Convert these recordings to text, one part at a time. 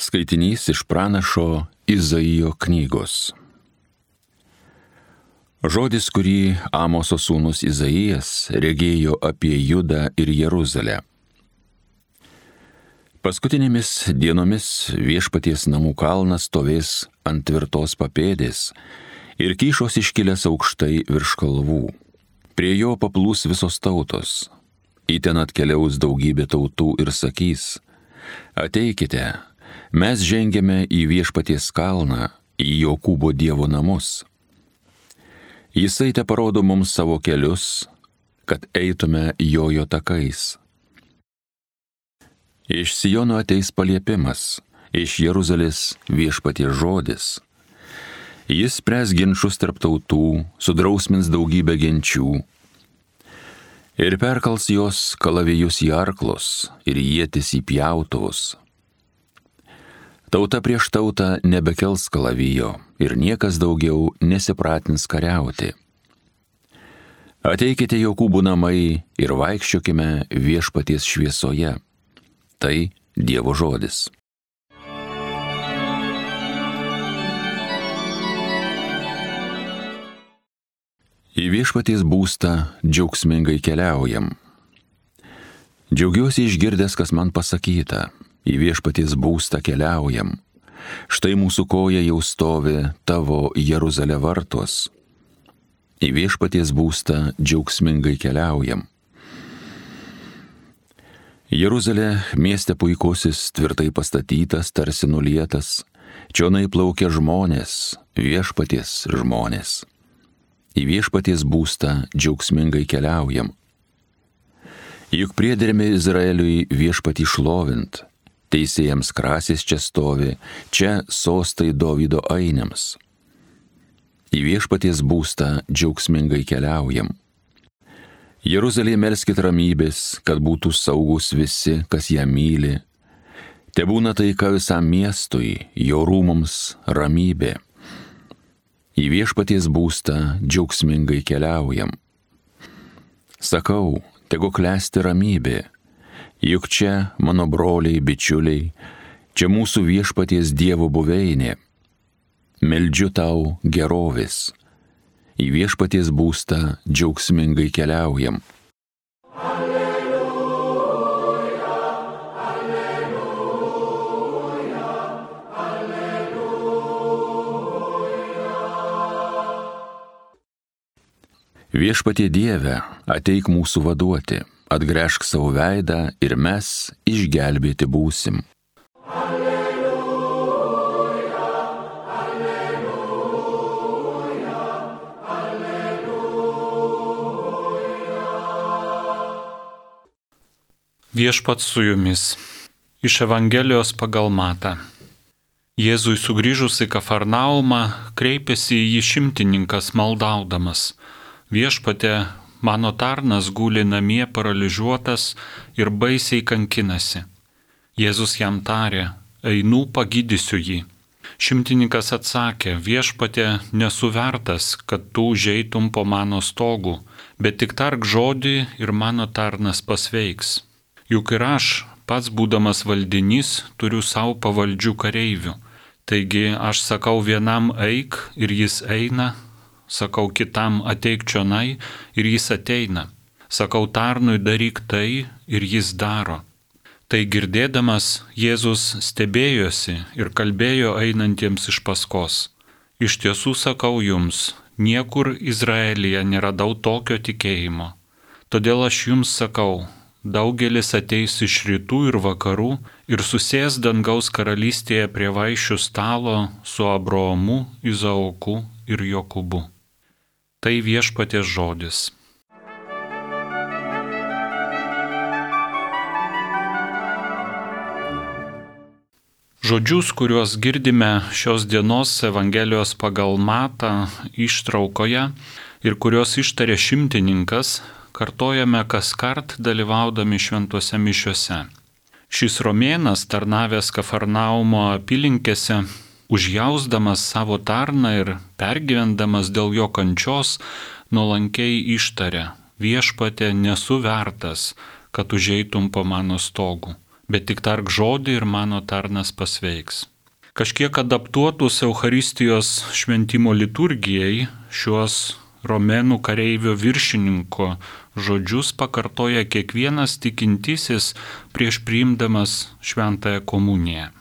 Skaitinys iš pranašo Izaijo knygos. Žodis, kurį Amoso sūnus Izaijas regėjo apie Judą ir Jeruzalę. Paskutinėmis dienomis Viešpaties namų kalnas stovės ant tvirtos papėdės ir kyšos iškilęs aukštai virš kalvų. Prie jo paplūs visos tautos. Į ten atkeliaus daugybė tautų ir sakys: ateikite, mes žengiame į Viešpaties kalną, į Jokūbo Dievo namus. Jisai te parodo mums savo kelius, kad eitume jo takais. Iš Siono ateis paliepimas, iš Jeruzalės Viešpaties žodis. Jis spręs ginčus tarp tautų, sudrausmins daugybę genčių ir perkals jos kalavijus į arklus ir ietis į pjautuvus. Tauta prieš tautą nebekels kalavijo ir niekas daugiau nesipratins kariauti. Ateikite Jokūbo namai ir vaikščiokime Viešpaties šviesoje. Tai Dievo žodis. Į Viešpaties būstą džiaugsmingai keliaujam. Džiaugiuosi išgirdęs, kas man pasakyta. Į Viešpaties būstą keliaujam. Štai mūsų koja jau stovi tavo Jeruzalė vartuos. Į Viešpaties būstą džiaugsmingai keliaujam. Jeruzalė mieste puikusis, tvirtai pastatytas, tarsi nulietas. Čionai plaukia žmonės, Viešpaties žmonės. Į Viešpaties būstą džiaugsmingai keliaujam. Juk priedermi Izraeliui Viešpatį šlovint. Teisėjams krasis čia stovi, čia sostai Dovydo ainiams. Į Viešpaties būstą džiaugsmingai keliaujam. Jeruzalėje melskit ramybės, kad būtų saugus visi, kas ją myli. Tebūna taika visam miestui, jo rūmums ramybė. Į Viešpaties būstą džiaugsmingai keliaujam. Sakau, tegu klesti ramybė. Juk čia mano broliai, bičiuliai, čia mūsų Viešpaties Dievo buveinė. Meldžiu tau gerovės. Į Viešpaties būstą džiaugsmingai keliaujam. Alleluja, alleluja, alleluja. Viešpatie Dieve, ateik mūsų vaduoti. Atgręžk savo veidą ir mes išgelbėti būsim. Alleluja, alleluja, alleluja. Viešpats su jumis. Iš Evangelijos pagal Matą. Jėzui sugrįžus į Kafarnaumą kreipėsi į jį šimtininkas maldaudamas: Viešpatie, mano tarnas guli namie paralyžiuotas ir baisiai kankinasi. Jėzus jam tarė: einu pagydysiu jį. Šimtininkas atsakė: Viešpatie, nesu vertas, kad tu užeitum po mano stogu, bet tik tark žodį ir mano tarnas pasveiks. Juk ir aš, pats būdamas valdinys, turiu savo pavaldžių kareivių. Taigi aš sakau vienam eik ir jis eina, sakau kitam ateik čionai ir jis ateina. Sakau tarnui daryk tai ir jis daro. Tai girdėdamas Jėzus stebėjosi ir kalbėjo einantiems iš paskos: iš tiesų sakau jums, niekur Izraelyje neradau tokio tikėjimo. Todėl aš jums sakau, daugelis ateis iš rytų ir vakarų ir susės dangaus karalystėje prie vaišių stalo su Abraomu, Izaoku ir Jokūbu. Tai Viešpaties žodis. Žodžius, kuriuos girdime šios dienos Evangelijos pagal Matą ištraukoje ir kuriuos ištarė šimtininkas, kartojame kaskart dalyvaudami šventose mišiose. Šis romėnas, tarnavęs Kafarnaumo apylinkėse, užjausdamas savo tarną ir pergyvendamas dėl jo kančios, nuolankiai ištarė: Viešpatie, nesu vertas, kad užeitum po mano stogu, bet tik tark žodį ir mano tarnas pasveiks. Kažkiek adaptuotus Eucharistijos šventimo liturgijai šiuos romėnų kareivio viršininko žodžius pakartoja kiekvienas tikintysis prieš priimdamas šventąją komuniją.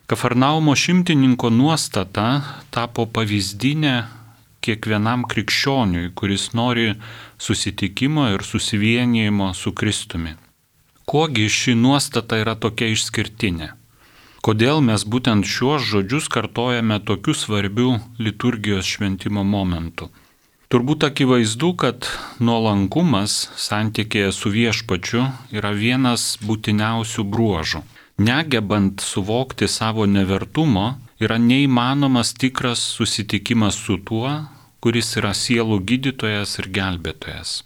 Kafarnaumo šimtininko nuostata tapo pavyzdinė kiekvienam krikščioniui, kuris nori susitikimo ir susivienijimo su Kristumi. Kuogi ši nuostata yra tokia išskirtinė? Kodėl mes būtent šiuos žodžius kartojame tokiu svarbiu liturgijos šventimo momentu? Turbūt akivaizdu, kad nuolankumas santykėje su viešpačiu yra vienas būtiniausių bruožų. Negebant suvokti savo nevertumo, yra neįmanomas tikras susitikimas su tuo, kuris yra sielų gydytojas ir gelbėtojas.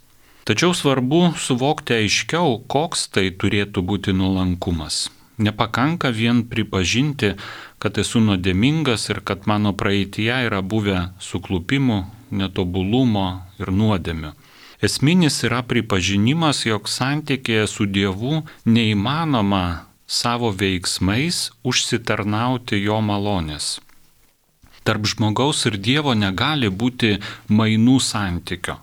Tačiau svarbu suvokti aiškiau, koks tai turėtų būti nuolankumas. Nepakanka vien pripažinti, kad esu nuodėmingas ir kad mano praeityje yra buvę suklupimų, netobulumo ir nuodėmių. Esminis yra pripažinimas, jog santykėje su Dievu neįmanoma savo veiksmais užsitarnauti jo malonės. Tarp žmogaus ir Dievo negali būti mainų santykio.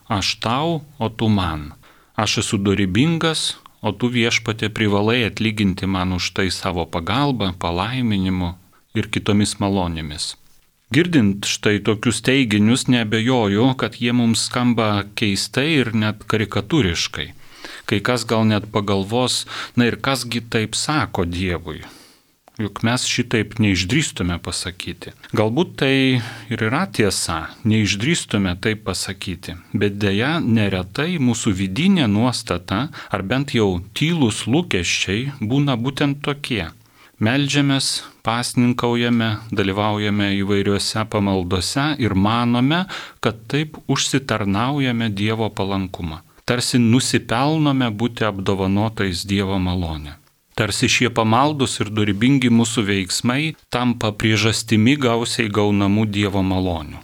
Aš tau, o tu man. Aš esu dorybingas, o tu viešpatie privalai atlyginti man už tai savo pagalbą, palaiminimu ir kitomis malonėmis. Girdint štai tokius teiginius, neabejoju, kad jie mums skamba keistai ir net karikatūriškai. Kai kas gal net pagalvos, na ir kasgi taip sako Dievui. Juk mes šitaip neišdrįstume pasakyti. Galbūt tai ir yra tiesa, neišdrįstume taip pasakyti, bet deja neretai mūsų vidinė nuostata, ar bent jau tylūs lūkesčiai būna būtent tokie. Meldžiamės, pasninkaujame, dalyvaujame įvairiuose pamaldose ir manome, kad taip užsitarnaujame Dievo palankumą. Tarsi nusipelnome būti apdovanotais Dievo malonę. Tarsi šie pamaldus ir dorybingi mūsų veiksmai tampa priežastimi gausiai gaunamų Dievo malonių.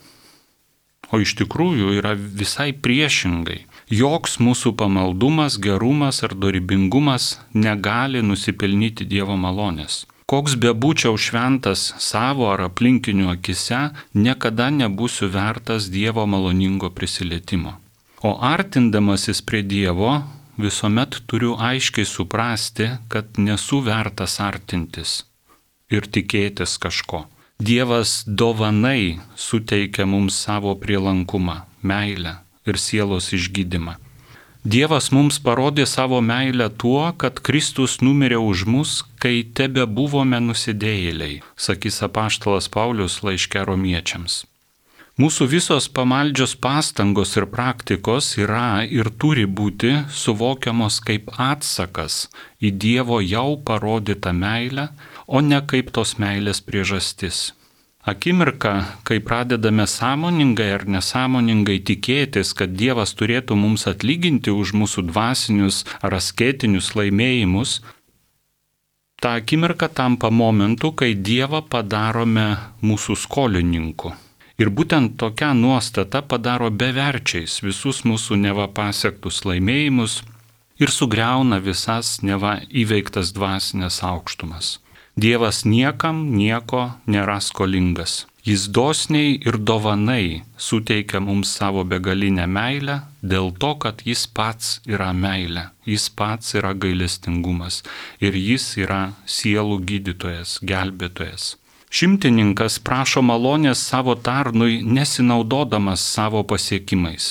O iš tikrųjų yra visai priešingai. Joks mūsų pamaldumas, gerumas ar dorybingumas negali nusipelnyti Dievo malonės. Koks bebūčiau šventas savo ar aplinkinių akise, niekada nebūsiu vertas Dievo maloningo prisilietimo. O artindamasis prie Dievo visuomet turiu aiškiai suprasti, kad nesu vertas artintis ir tikėtis kažko. Dievas dovanai suteikia mums savo prielankumą, meilę ir sielos išgydymą. Dievas mums parodė savo meilę tuo, kad Kristus numirė už mus, kai tebe buvome nusidėjėliai, sakys apaštalas Paulius laiške Romiečiams. Mūsų visos pamaldžios pastangos ir praktikos yra ir turi būti suvokiamos kaip atsakas į Dievo jau parodytą meilę, o ne kaip tos meilės priežastis. Akimirka, kai pradedame sąmoningai ar nesąmoningai tikėtis, kad Dievas turėtų mums atlyginti už mūsų dvasinius ar asketinius laimėjimus, ta akimirka tampa momentu, kai Dievą padarome mūsų skolininku. Ir būtent tokia nuostata padaro beverčiais visus mūsų neva pasiektus laimėjimus ir sugriauna visas neva įveiktas dvasinės aukštumas. Dievas niekam nieko nėra skolingas. Jis dosniai ir dovanai suteikia mums savo begalinę meilę dėl to, kad jis pats yra meilė, jis pats yra gailestingumas ir jis yra sielų gydytojas, gelbėtojas. Šimtininkas prašo malonės savo tarnui nesinaudodamas savo pasiekimais,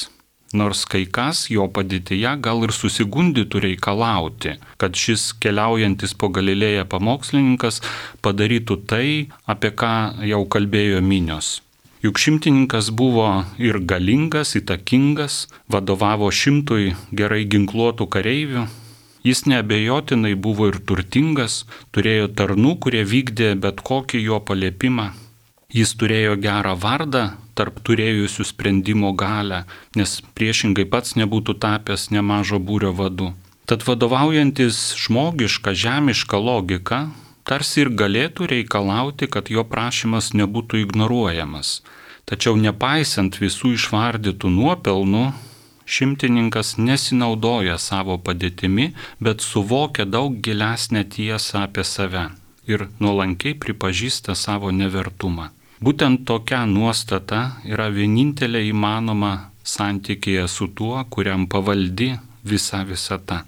nors kai kas jo padėtyje gal ir susigundytų reikalauti, kad šis keliaujantis po Galilėją pamokslininkas padarytų tai, apie ką jau kalbėjo minios. Juk šimtininkas buvo ir galingas, įtakingas, vadovavo 100 gerai ginkluotų kareivių. Jis neabejotinai buvo ir turtingas, turėjo tarnų, kurie vykdė bet kokį jo paliepimą. Jis turėjo gerą vardą tarp turėjusių sprendimo galią, nes priešingai pats nebūtų tapęs nemažo būrio vadu. Tad vadovaujantis žmogišką, žemišką logiką, tarsi ir galėtų reikalauti, kad jo prašymas nebūtų ignoruojamas. Tačiau nepaisant visų išvardytų nuopelnų, šimtininkas nesinaudoja savo padėtimi, bet suvokia daug gilesnę tiesą apie save ir nuolankiai pripažįsta savo nevertumą. Būtent tokia nuostata yra vienintelė įmanoma santykėje su tuo, kuriam pavaldi visa visata.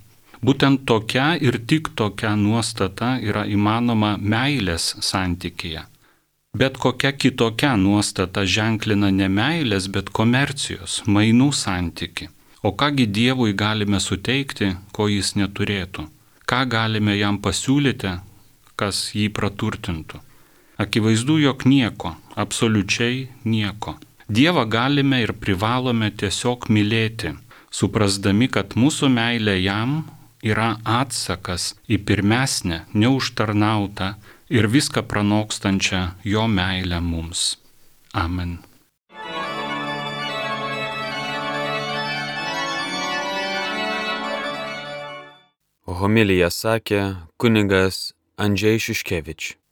Būtent tokia ir tik tokia nuostata yra įmanoma meilės santykėje. Bet kokia kitokia nuostata ženklina ne meilės, bet komercijos, mainų santyki. O kągi Dievui galime suteikti, ko jis neturėtų? Ką galime jam pasiūlyti, kas jį praturtintų? Akivaizdu, jog nieko, absoliučiai nieko. Dievą galime ir privalome tiesiog mylėti, suprasdami, kad mūsų meilė jam yra atsakas į pirmesnę, neužtarnautą ir viską pranokstančią jo meilę mums. Amen. Homiliją sakė kunigas Andžej Šiuškevič.